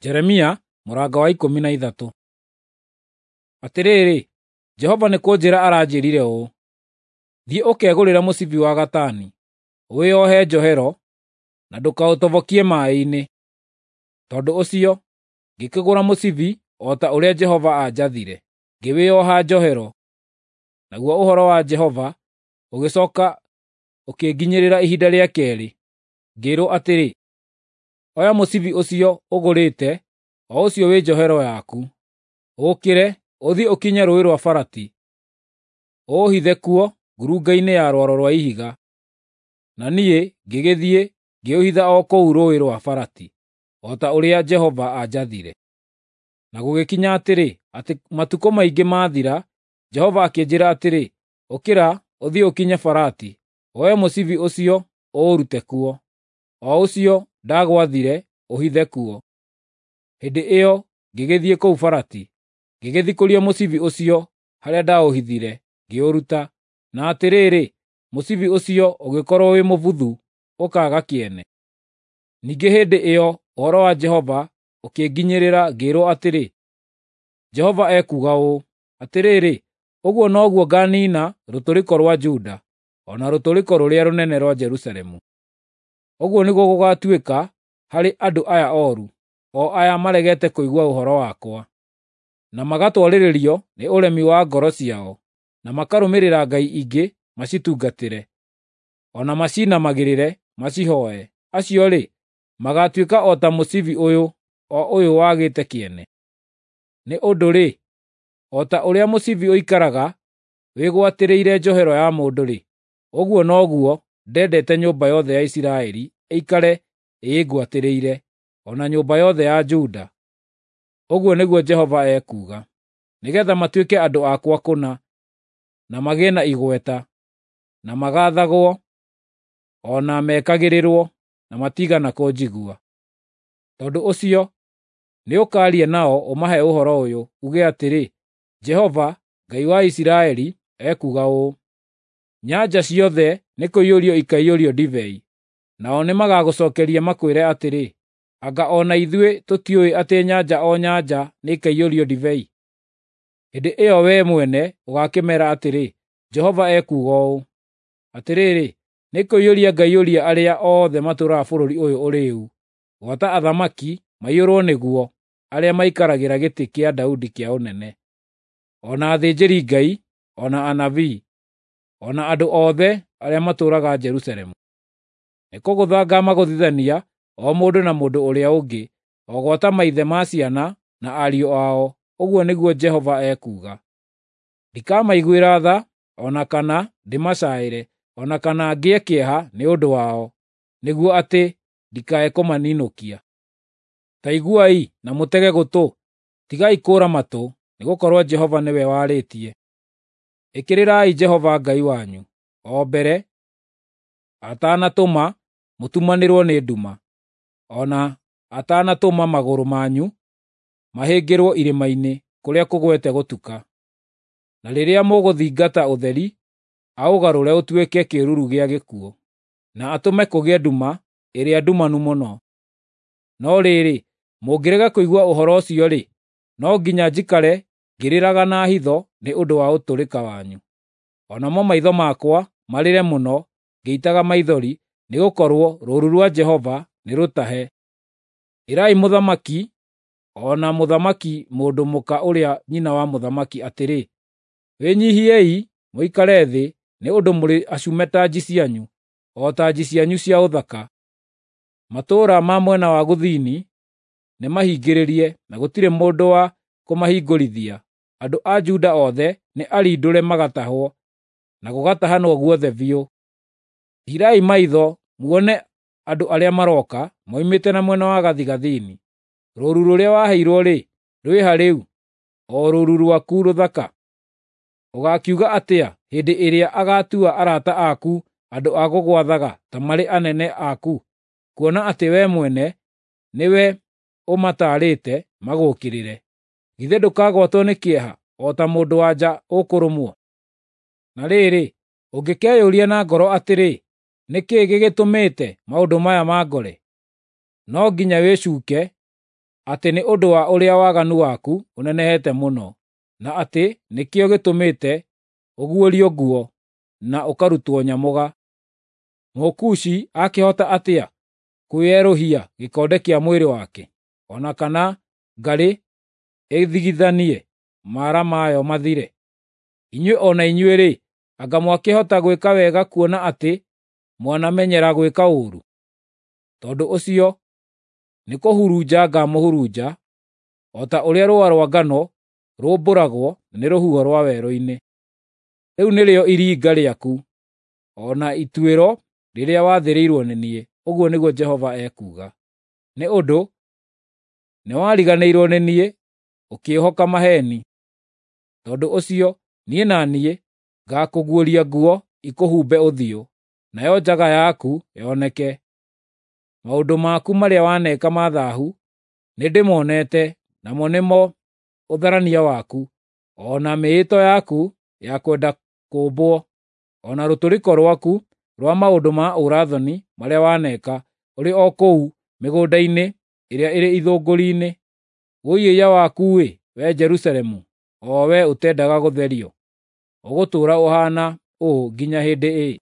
Jeremia mũrango wa 13. Atĩrĩrĩ, Jehova nĩ kũnjĩra aranjĩrire ũũ: Thiĩ ũkegũrĩre mũcibi wa gatani, ũwĩohe njohero, na ndũkaũtobokie maaĩ-inĩ. Tondũ ũcio ngĩkĩgũra mũcibi o ta ũrĩa Jehova aanjathire, ngĩwĩoha njohero. Naguo ũhoro wa Jehova ũgĩcooka ũkĩnginyĩrĩra ihinda rĩa keerĩ, ngĩĩrwo atĩrĩ, “Oya mũcibi ũcio ũgũrĩte, o ũcio wĩ njohero yaku, ũũkĩre, ũthiĩ ũkinye Rũũĩ rwa Farati, ũũhithe kuo ngurunga-inĩ ya rwaro rwa ihiga.” Na niĩ ngĩgĩthiĩ ngĩũhitha o kũu Rũũĩ rwa Farati, o ta ũrĩa Jehova aanjathire. Na gũgĩkinya atĩrĩ, atĩ matukũ maingĩ maathira, Jehova akĩnjĩĩra atĩrĩ, “Ũkĩra ũthiĩ ũkinye Farati, woe mũcibi ũcio ũũrute kuo, o ũcio ndagwathire ũhithe kuo.” Hĩndĩ ĩyo ngĩgĩthiĩ kũu Farati, ngĩgĩthikũria mũcibi ũcio harĩa ndaũhithire, ngĩũruta. Na atĩrĩrĩ, mũcibi ũcio ũgĩkorwo wĩ mũbuthu, ũkaaga kĩene. Ningĩ hĩndĩ ĩyo ũhoro wa Jehova ũkĩnginyĩrĩra ngĩĩrwo atĩrĩ, Jehova ekuuga ũũ: Atĩrĩrĩ, ũguo noguo ngaaniina rũtũrĩko rwa Juda, o na rũtũrĩko rũrĩa rũnene rwa Jerusalemu. Ũguo nĩguo gũgaatuĩka harĩ andũ aya ooru, o aya maregete kũigua ũhoro wakwa, na magatwarĩrĩrio nĩ ũremi wa ngoro ciao, na makarũmĩrĩra ngai ingĩ macitungatĩre, o na macinamagĩrĩre macihooe. Acio-rĩ, magaatuĩka o ta mũcibi ũyũ, o ũyũ wagĩte kĩene. Nĩ ũndũ-rĩ, o ta ũrĩa mũcibi ũikaraga wĩgwatĩrĩire njohero ya mũndũ-rĩ, ũguo noguo ndendete nyũmba yothe ya Isiraeli ĩikare ĩĩngwatĩrĩire, o na nyũmba yothe ya Juda, ũguo nĩguo Jehova ekuuga, nĩgeetha matuĩke andũ akwa kũna, na magĩe na igweta, na magaathagwo, o na mekagĩrĩrwo, na matiigana kũnjigua. Tondũ ũcio nĩũkaaria nao ũmahe ũhoro ũyũ, uuge atĩrĩ, ‘Jehova, Ngai wa Isiraeli, ekuuga ũũ: Nyanjara ciothe nĩkũiyũrio ikaiyũrio ndibei.’ Nao nĩmagagũcookeria makwĩre atĩrĩ, ‘Anga o na ithuĩ tũtiũĩ atĩ nyanja o nyanja nĩikaiyũrio ndibei?’ Hĩndĩ ĩyo wee mwene ũgaakĩmeera atĩrĩ, ‘Jehova ekuuga ũũ: Atĩrĩrĩ, nĩkũiyũria ngaiyũria arĩa othe matũũraga bũrũri ũyũ ũrĩĩu, gwata athamaki maiyũrwo nĩguo arĩa maikaragĩra gĩtĩ kĩa Daudi kĩa ũnene, o na athĩnjĩri-Ngai, o na anabii, o na andũ othe arĩa matũũraga Jerusalemu. Nĩkũgũtha ngaamagũthithania o mũndũ na mũndũ ũrĩa ũngĩ, o gwata maithe ma ciana na ariũ ao, ũguo nĩguo Jehova ekuuga. Ndikamaiguĩra tha, o na kana ndĩmacaĩre, o na kana ngĩe kĩeha nĩ ũndũ wao, nĩguo atĩ ndikae kũmaninũkia. Ta iguai na mũtege gũtũ, tigai kũũra matũ, nĩgũkorwo Jehova nĩwe warĩtie. Ĩkĩrĩrai Jehova Ngai wanyu, o mbere atanatũma mũtumanĩrwo nĩ nduma, o na atanatũma magũrũ manyu mahĩngĩrwo irĩma-inĩ kũrĩa kũgwete gũtuka. Na rĩrĩa mũgũthingata ũtheri, aũgarũre ũtuĩke kĩĩruru gĩa gĩkuũ, na atũme kũgĩe nduma ĩrĩa ndumanu mũno. No rĩrĩ, mũngĩrega kũigua ũhoro ũcio-rĩ, no nginya njikare ngĩrĩraga na hitho nĩ ũndũ wa ũtũrĩka wanyu. O namo maitho makwa marĩre mũno ngĩitaga maithori, nĩgũkorwo rũũru rwa Jehova nĩrũtahe. Ĩrai mũthamaki o na mũthamaki mũndũ mũka ũrĩa nyina wa mũthamaki atĩrĩ, “Wĩnyiihiei mũikare thĩ nĩ ũndũ mũrĩ acume tanji cianyu, o tanji cianyu cia ũthaka.” Matũũra ma mwena wa gũthini nĩmahingĩrĩrie, na gũtirĩ mũndũ wa kũmahingũrithia. Andũ a Juda othe nĩ arindũre magatahwo, na gũgatahanwo guothe biũ. Tiirai maitho muone andũ arĩa marooka moimĩte na mwena wa gathigathini. Rũũru rũrĩa waheirwo-rĩ, rwĩ ha rĩu, o rũũru rwaku rũthaka? Ũgaakiuga atĩa hĩndĩ ĩrĩa agaatua arata aku andũ a gũgwathaga ta marĩ anene aku, kuona atĩ wee mwene nĩwe ũmataarĩte magũũkĩrĩre? Githĩ ndũkagwatwo nĩ kĩeha o ta mũndũ-wa-nja ũkũrũmwo? Na rĩrĩ, ũngĩkeyũria na ngoro atĩrĩ, “Nĩ kĩĩ gĩgĩtũmĩte maũndũ maya mangore?” No nginya wĩcuuke Atĩ nĩ ũndũ wa ũrĩa waganu waku ũnenehete mũno, na atĩ nĩkĩo gĩtũmĩte ũguũrio nguo na ũkarutwo nyamũga. Mũkushi akĩhota atĩa kwĩerũhia gĩkonde kĩa mwĩrĩ wake, o na kana ngarĩ ĩthigithanie mara mayo mathire? Inyuĩ o na inyuĩ-rĩ, anga mwakĩhota gwĩka wega kuona atĩ mwanamenyera gwĩka ũũru? Tondũ ũcio nĩkũhurunja ngamũhurunja, o ta ũrĩa rũũa rwa ngano rũmbũragwo nĩ rũhuho rwa werũ-inĩ. Rĩu nĩrĩo iringa rĩaku, o na ituĩro rĩrĩa wathĩrĩirwo nĩ niĩ, ũguo nĩguo Jehova ekuuga. Nĩ ũndũ nĩwariganĩirwo nĩ niĩ, ũkĩĩhoka maheeni. Tondũ ũcio niĩ na niĩ ngaakũguũria nguo ikũhumbe ũthiũ, nayo njaga yaku yoneke. Maũndũ maku marĩa waneka ma thaahu nĩndĩmonete, namo nĩmo ũtharania waku, o na mĩĩto yaku ya kwenda kũũmbwo, o na rũtũrĩko rwaku rwa maũndũ ma ũũra-thoni marĩa waneka ũrĩ o kũu mĩgũnda-inĩ ĩrĩa ĩrĩ ithũngũri-inĩ. Wũi-ĩiya waku-ĩ, wee Jerusalemu, o wee ũtendaga gũtherio! Ũgũtũũra ũhaana ũũ nginya hĩndĩ ĩ?